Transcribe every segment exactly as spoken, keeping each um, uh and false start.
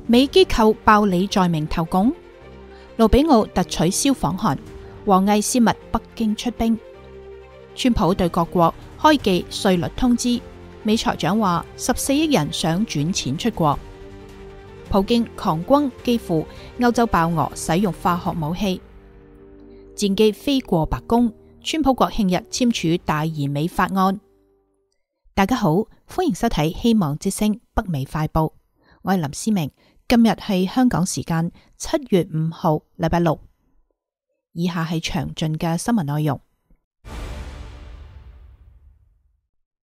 美機構爆李在明投共，盧比奧突取消訪韓，王毅泄密北京出兵。川普對各國開寄稅率通知，美財長話十四億人想轉錢出國。普京狂轟基輔，歐洲爆俄使用化學武器。戰機飛過白宮，川普國慶日簽署大而美法案。大家好，歡迎收睇希望之聲北美快報，我係林思明。今日係香港時間七月五號，禮拜六。以下係詳盡嘅新聞內容。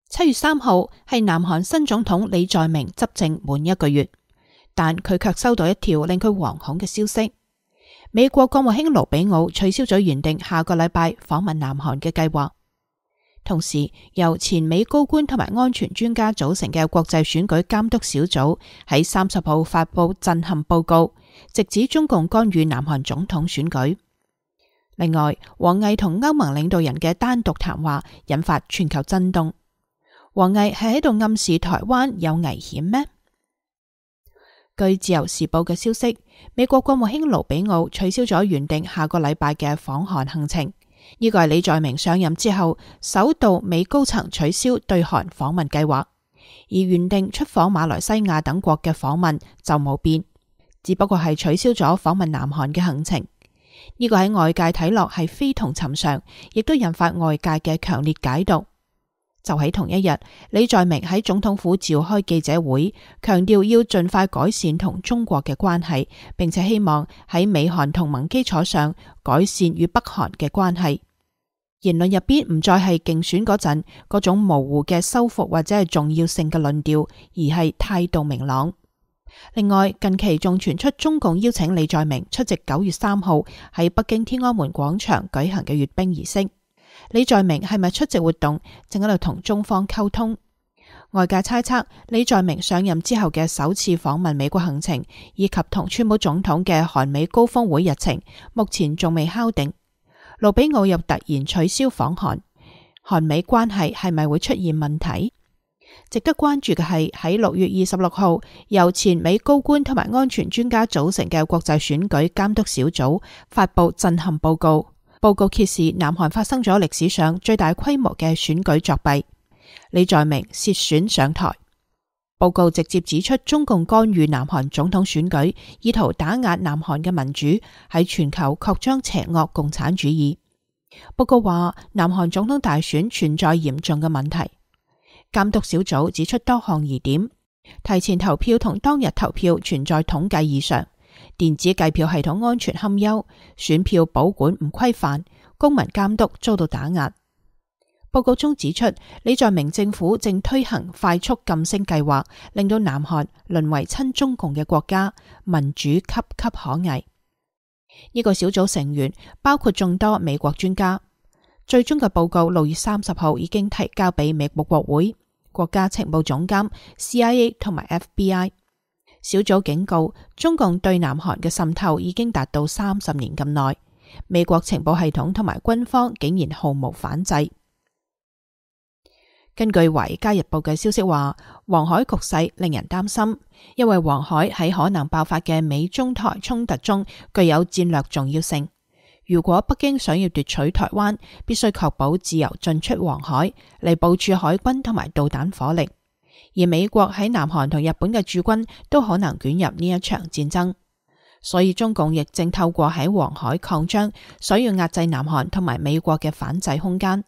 七月三號係南韓新總統李在明執政滿一個月，但佢卻收到一條令佢惶恐嘅消息。美國國務卿盧比奧取消咗原定下個禮拜訪問南韓嘅計劃。同時，由前美高官同埋安全專家組成嘅國際選舉監督小組喺三十號發佈震撼報告，直指中共干預南韓總統選舉。另外，王毅同歐盟領導人嘅單獨談話引發全球震動。王毅係喺度暗示台灣有危險咩？據自由時報嘅消息，美國國務卿盧比奧取消咗原定下個禮拜嘅訪韓行程。呢個係李在明上任之後首度美高層取消對韓訪問計劃，而原定出訪馬來西亞等國嘅訪問就冇變，只不過係取消咗訪問南韓嘅行程。呢個喺外界睇落係非同尋常，亦都引發外界嘅強烈解讀。就喺同一日，李在明喺總統府召開記者會，強調要盡快改善同中國嘅關係，並且希望喺美韓同盟基礎上改善與北韓嘅關係。言論入邊唔再係競選嗰陣嗰種模糊嘅修復或者係重要性嘅論調，而係態度明朗。另外，近期仲傳出中共邀請李在明出席九月三號喺北京天安門廣場舉行嘅閱兵儀式。李在明係咪出席活動，正喺度同中方溝通？外界猜測李在明上任之後嘅首次訪問美國行程，以及同川普總統嘅韓美高峰會日程，目前仲未敲定。盧比奧又突然取消訪韓，韓美關係係咪會出現問題？值得關注嘅係喺六月二十六號，由前美高官同埋安全專家組成嘅國際選舉監督小組發佈震撼報告。報告揭示南韓發生咗歷史上最大規模嘅選舉作弊，李在明涉選上台。報告直接指出中共干預南韓總統選舉，意圖打壓南韓嘅民主，喺全球擴張邪惡共產主義。報告話南韓總統大選存在嚴重嘅問題。監督小組指出多項疑點，提前投票同當日投票存在統計異常，電子計票系統安全堪憂，選票保管唔規範，公民監督遭到打壓。報告中指出，李在明政府正推行快速晉升計劃，令到南韓淪為親中共嘅國家，民主岌岌可危。呢個小組成員包括眾多美國專家。最終嘅報告六月三十號已經提交俾美國國會、國家情報總監、C I A 同埋 F B I。小組警告，中共對南韓嘅滲透已經達到三十年咁耐，美國情報系統同埋軍方竟然毫無反制。根據《華爾街日報》嘅消息話，黃海局勢令人擔心，因為黃海喺可能爆發嘅美中台衝突中具有戰略重要性。如果北京想要奪取台灣，必須確保自由進出黃海，嚟部署海軍同埋導彈火力。而美國喺南韓同日本嘅駐軍都可能捲入呢一場戰爭，所以中共亦正透過喺黃海擴張，想要壓制南韓同埋美國嘅反制空間。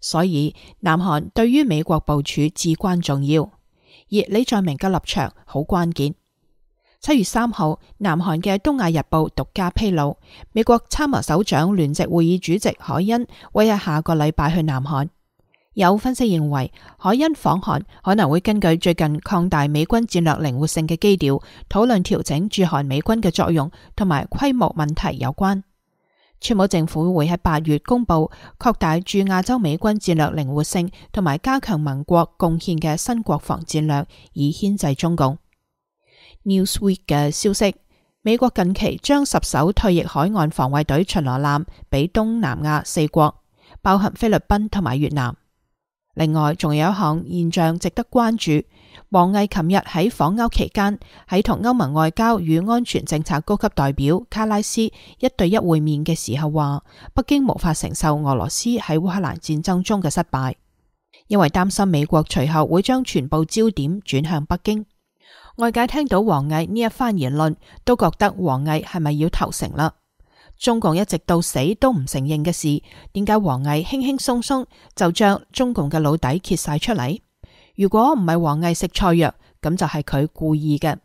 所以南韓對於美國部署至關重要，而李在明嘅立場好關鍵。七月三號，南韓嘅《東亞日報》獨家披露，美國參謀首長聯席會議主席海恩會喺下個禮拜去南韓。有分析認為，海恩訪韓可能會根據最近擴大美軍戰略靈活性嘅基調，討論調整駐韓美軍嘅作用同埋規模問題有關。川普政府會喺八月公布擴大駐亞洲美軍戰略靈活性同埋加強盟國貢獻嘅新國防戰略，以牽制中共。Newsweek 嘅消息，美國近期將十艘退役海岸防衛隊巡邏艦俾東南亞四國，包含菲律賓同埋越南。另外，仲有一項現象值得關注，王毅琴日喺訪歐期間，喺同歐盟外交與安全政策高級代表卡拉斯一對一會面嘅時候話，北京無法承受俄羅斯喺烏克蘭戰爭中嘅失敗，因為擔心美國隨後會將全部焦點轉向北京。外界聽到王毅呢一番言論，都覺得王毅係咪要投誠啦？中共一直到死都唔承認嘅事，點解王毅輕輕鬆鬆就將中共嘅老底揭晒出嚟？如果唔係王毅食錯藥，咁就係佢故意嘅。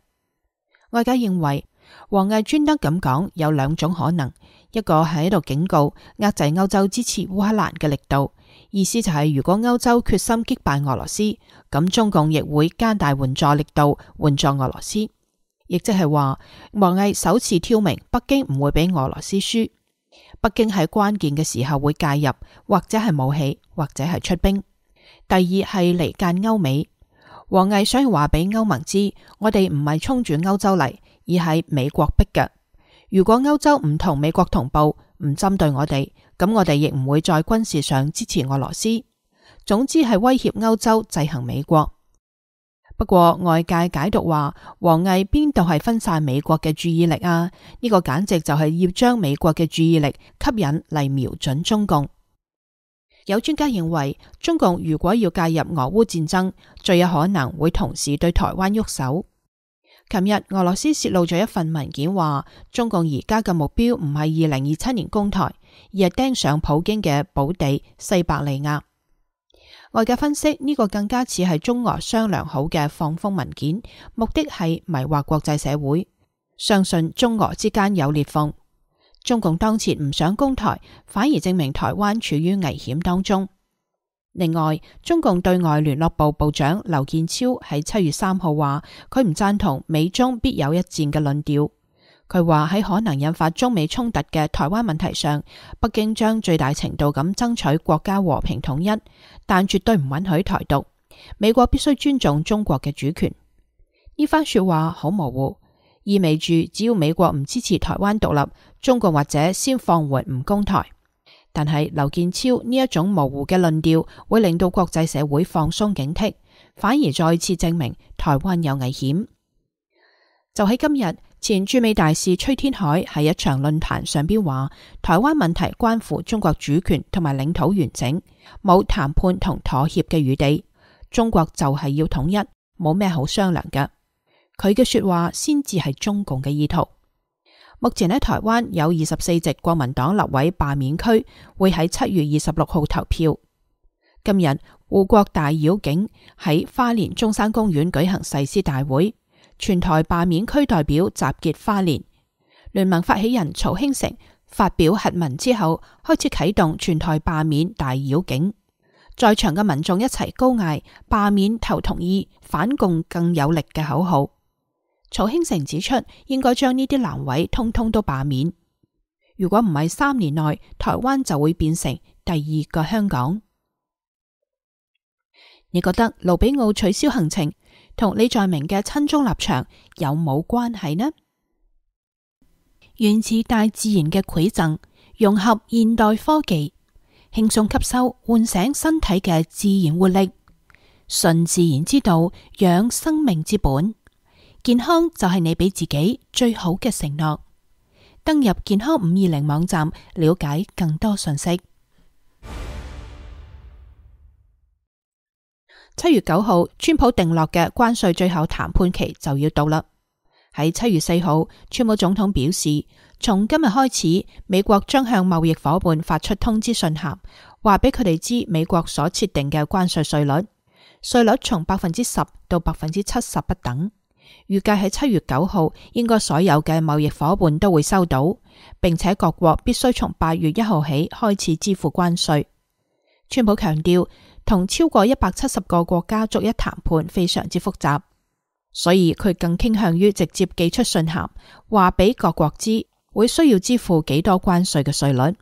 外界認為王毅專登咁講有兩種可能，一個係喺度警告壓制歐洲支持烏克蘭嘅力度，意思就係如果歐洲決心擊敗俄羅斯，咁中共亦會加大援助力度援助俄羅斯，亦即係話王毅首次挑明北京唔會俾俄羅斯輸，北京喺關鍵嘅時候會介入，或者係武器，或者係出兵。第二係離間歐美，王毅想話俾歐盟知，我哋唔係衝住歐洲嚟，而係美國逼嘅。如果歐洲唔同美國同步，唔針對我哋，咁我哋亦唔會在軍事上支持俄羅斯。總之係威脅歐洲制衡美國。不過外界解讀話，王毅邊度係分散美國嘅注意力啊？呢個簡直就係要將美國嘅注意力吸引嚟瞄準中共。有專家認為，中共如果要介入俄烏戰爭，最有可能會同時對台灣喐手。琴日俄羅斯泄露咗一份文件，話中共而家嘅目標唔係二零二七年攻台，而係盯上普京嘅寶地西伯利亞。外界分析呢個更加似係中俄商量好嘅放風文件，目的係迷惑國際社會，相信中俄之間有裂縫。中共當前唔想攻台，反而證明台灣處於危險當中。另外，中共對外聯絡部部長劉建超喺七月三號話，佢唔贊同美中必有一戰嘅論調。佢話喺可能引發中美衝突嘅台灣問題上，北京將最大程度咁爭取國家和平統一，但絕對唔允許台獨。美國必須尊重中國嘅主權。呢番說話好模糊，意味住只要美國唔支持台灣獨立，中國或者先放緩唔攻台。但係劉建超呢一種模糊嘅論調，會令到國際社會放鬆警惕，反而再次證明台灣有危險。就喺今日，前駐美大使崔天凱喺一場論壇上邊話，台灣問題關乎中國主權同埋領土完整，冇談判同妥協嘅餘地。中國就係要統一，冇咩好商量嘅。佢嘅說話先至係中共嘅意圖。目前喺台灣有二十四席國民黨立委罷免區，會喺七月二十六號投票。今日護國大繞境喺花蓮中山公園舉行誓師大會，全台罷免區代表集結花蓮。聯盟發起人曹興誠發表核文之後，開始啟動全台罷免大繞境。在場嘅民眾一齊高嗌罷免投同意，反共更有力嘅口號。曹興誠指出，應該將呢啲難委通通都罷免。如果唔係三年內，台灣就會變成第二個香港。你覺得盧比奧取消行程同李在明嘅親中立場有冇關係呢？源自大自然嘅饋贈，融合現代科技，輕鬆吸收，喚醒身體嘅自然活力，順自然之道，養生命之本。健康就係你俾自己最好嘅承諾。登入健康五二零網站，了解更多信息。七月九號，川普定落嘅關稅最後談判期就要到啦。喺七月四號，川普總統表示，從今日開始，美國將向貿易夥伴發出通知信函，話俾佢哋知美國所設定嘅關稅稅率，稅率從百分之十到百分之七十不等。預計喺七月九號，應該所有嘅貿易夥伴都會收到，並且各國必須從八月一號起開始支付關稅。川普強調，同超過一百七十個國家逐一談判非常之複雜，所以佢更傾向於直接寄出信函，話俾各國知會需要支付幾多關稅嘅稅率。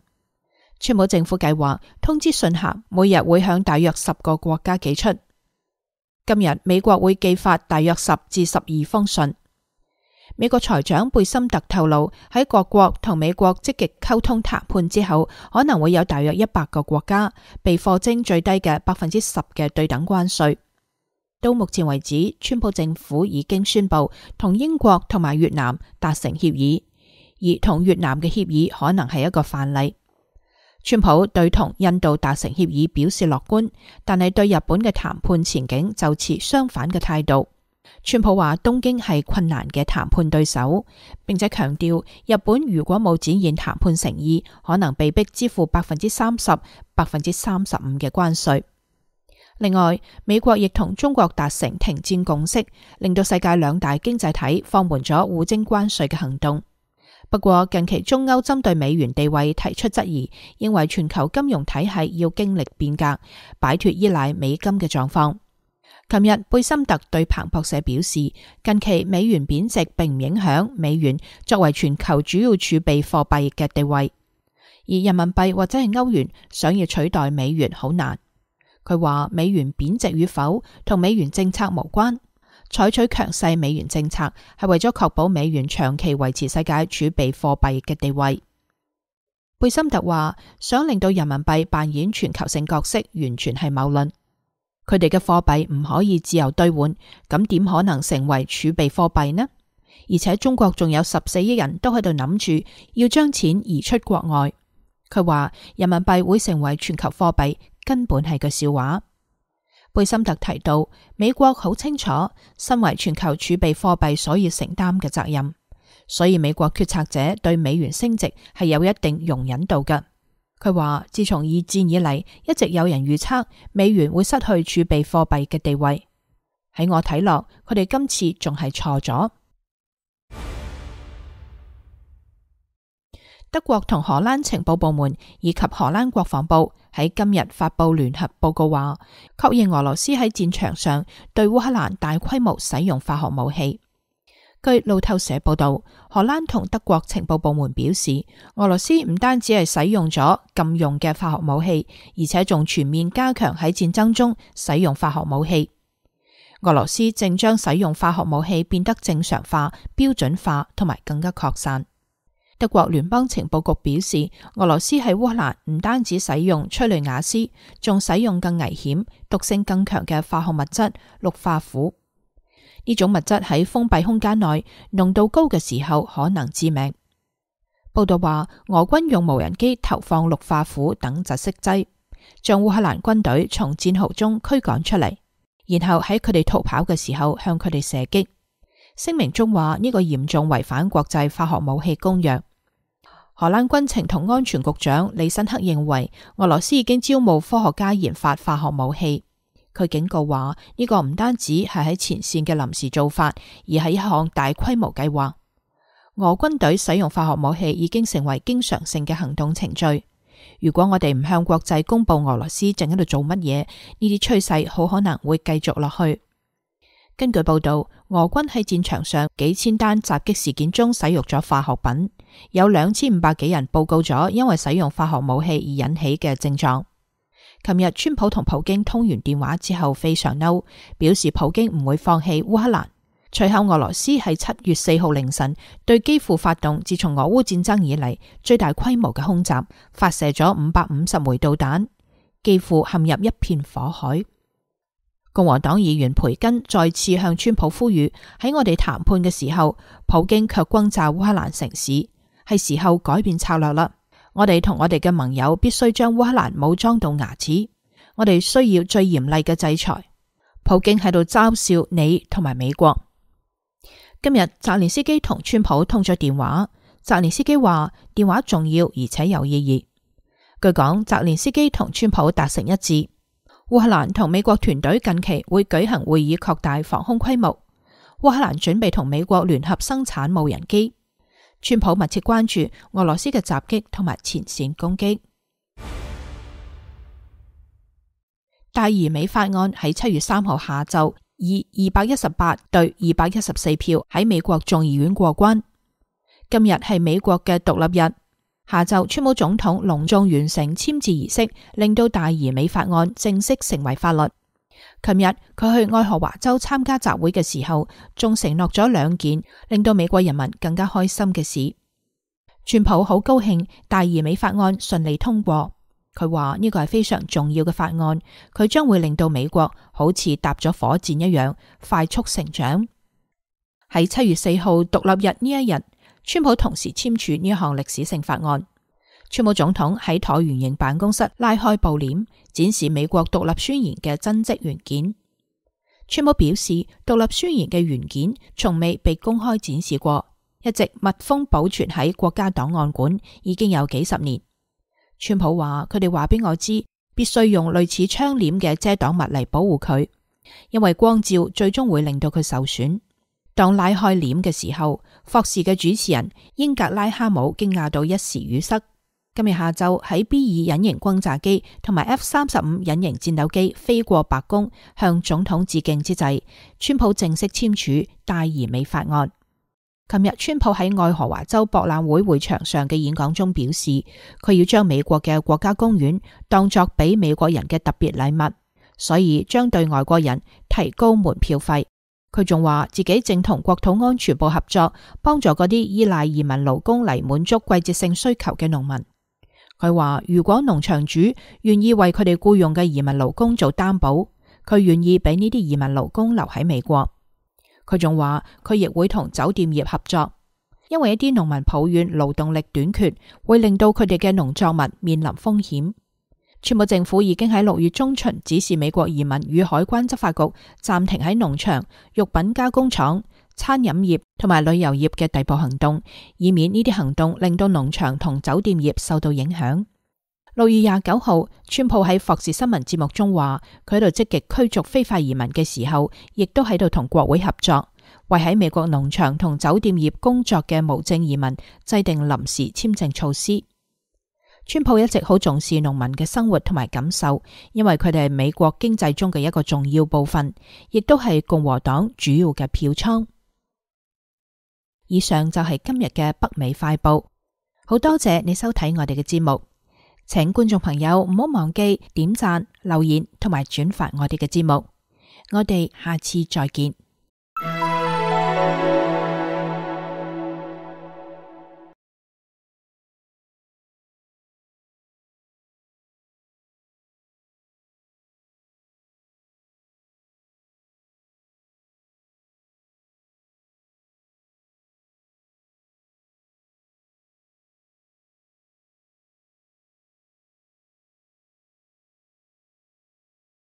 川普政府計劃通知信函每日會向大約十個國家寄出。今日美國會寄發大約十至十二封信。美國財長貝森特透露，喺各國同美國積極溝通談判之後，可能會有大約一百個國家被課徵最低嘅百分之十嘅對等關稅。到目前為止，川普政府已經宣布同英國同埋越南達成協議，而同越南嘅協議可能係一個範例。川普對同印度達成協議表示樂觀，但係對日本嘅談判前景就持相反嘅態度。川普話東京係困難嘅談判對手，並且強調日本如果冇展現談判誠意，可能被迫支付百分之三十、百分之三十五嘅關稅。另外，美國亦同中國達成停戰共識，令到世界兩大經濟體放緩咗互徵關稅嘅行動。不過近期中歐針對美元地位提出質疑，認為全球金融體系要經歷變革，擺脫依賴美金嘅狀況。琴日貝森特對彭博社表示，近期美元貶值並唔影響美元作為全球主要儲備貨幣嘅地位，而人民幣或者係歐元想要取代美元好難。佢話美元貶值與否同美元政策無關，採取強勢美元政策係為咗確保美元長期維持世界儲備貨幣嘅地位。貝森特話想令到人民幣扮演全球性角色，完全係謬論。佢哋嘅貨幣唔可以自由兌換，咁點可能成為儲備貨幣呢？而且中國仲有十四億人都喺度諗住要將錢移出國外。佢話人民幣會成為全球貨幣，根本係個笑話。貝森特提到，美國好清楚身為全球儲備貨幣所要承擔嘅責任，所以美國決策者對美元升值係有一定容忍度嘅。佢話自從二戰以嚟，一直有人預測美元會失去儲備貨幣嘅地位。喺我睇落，佢哋今次仲係錯咗。德國同荷蘭情報部門以及荷蘭國防部喺今日發佈聯合報告，話確認俄羅斯喺戰場上對烏克蘭大規模使用化學武器。據路透社報道，荷蘭同德國情報部門表示，俄羅斯唔單止係使用咗禁用嘅化學武器，而且仲全面加強喺戰爭中使用化學武器。俄羅斯正將使用化學武器變得正常化、標準化同埋更加擴散。德國聯邦情報局表示，俄羅斯喺烏克蘭唔單止使用催淚瓦斯，仲使用更危險、毒性更強嘅化學物質氯化鈷。呢種物質喺封閉空間內濃度高嘅時候可能致命。報道話，俄軍用無人機投放氯化鈷等窒息劑，將烏克蘭軍隊從戰壕中驅趕出嚟，然後喺佢哋逃跑嘅時候向佢哋射擊。聲明中話呢個嚴重違反國際化學武器公約。荷蘭軍情同安全局長李申克認為，俄羅斯已經招募科學家研發化學武器。佢警告話呢個唔單止係喺前線嘅臨時做法，而係一項大規模計劃。俄軍隊使用化學武器已經成為經常性嘅行動程序。如果我哋唔向國際公布俄羅斯正喺度做乜嘢，呢啲趨勢好可能會繼續落去。根據報道，俄軍喺戰場上幾千單襲擊事件中使用咗化學品，有兩千五百幾人報告咗因為使用化學武器而引起嘅症狀。琴日川普同普京通完電話之後非常嬲，表示普京唔會放棄烏克蘭。隨後俄羅斯喺七月四號凌晨對基輔發動自從俄烏戰爭以嚟最大規模嘅空襲，發射咗五百五十枚導彈，基輔陷入一片火海。共和黨議員培根再次向川普呼籲，喺我哋談判嘅時候，普京卻轟炸烏克蘭城市，係時候改變策略啦。我哋同我哋嘅盟友必須將烏克蘭武裝到牙齒，我哋需要最嚴厲嘅制裁。普京喺度嘲笑你同埋美國。今日澤連斯基同川普通咗電話，澤連斯基話電話重要而且有意義。據講，澤連斯基同川普達成一致。烏克蘭同美國團隊近期會舉行會議，擴大防空規模。烏克蘭準備同美國聯合生產無人機。川普密切關注俄羅斯嘅襲擊同埋前線攻擊。大移美法案喺七月三號下晝以二百一十八對二百一十四票喺美國眾議院過關。今日係美國嘅獨立日。下晝，川普總統隆重完成簽字儀式，令到大移美法案正式成為法律。琴日佢去愛荷華州參加集會嘅時候，仲承諾咗兩件令到美國人民更加開心嘅事。川普好高興大移美法案順利通過，佢話呢個係非常重要嘅法案，佢將會令到美國好似搭咗火箭一樣快速成長。喺七月四號獨立日呢一日，川普同時簽署呢一項歷史性法案。川普總統喺橢圓形辦公室拉開布簾，展示美國獨立宣言嘅真跡原件。川普表示，獨立宣言嘅原件從未被公開展示過，一直密封保存喺國家檔案館，已經有幾十年。川普話：佢哋話俾我知，必須用類似窗簾嘅遮擋物嚟保護佢，因為光照最終會令到佢受損。當拉開簾嘅時候，霍士嘅主持人英格拉哈姆驚訝到一時語塞。今日下晝喺 B 二隱形轟炸機同埋 F 三十五隱形戰鬥機飛過白宮向總統致敬之際，川普正式簽署大而美法案。琴日川普喺愛荷華州博覽會會場上嘅演講中表示，佢要將美國嘅國家公園當作俾美國人嘅特別禮物，所以將對外國人提高門票費。佢仲話自己正同國土安全部合作，幫助嗰啲依賴移民勞工嚟滿足季節性需求嘅農民。佢話如果農場主願意為佢哋僱用嘅移民勞工做擔保，佢願意俾呢啲移民勞工留喺美國。佢仲話佢亦會同酒店業合作，因為一啲農民抱怨勞動力短缺，會令到佢哋嘅農作物面臨風險。川普政府已經喺六月中旬指示美國移民與海關執法局暫停喺農場、肉品加工廠、餐飲業同埋旅遊業嘅逮捕行動，以免呢啲行動令到農場同酒店業受到影響。六月廿九號，川普喺霍士新聞節目中話，佢喺度積極驅逐非法移民嘅時候，亦都喺度同國會合作，為喺美國農場同酒店業工作嘅無證移民制定臨時簽證措施。川普一直好重視農民嘅生活同埋感受，因為佢哋係美國經濟中嘅一個重要部分，亦都係共和黨主要嘅票倉。以上就係今日嘅北美快報，好多謝你收睇我哋嘅節目，請觀眾朋友唔好忘記點讚、留言同埋轉發我哋嘅節目，我哋下次再見。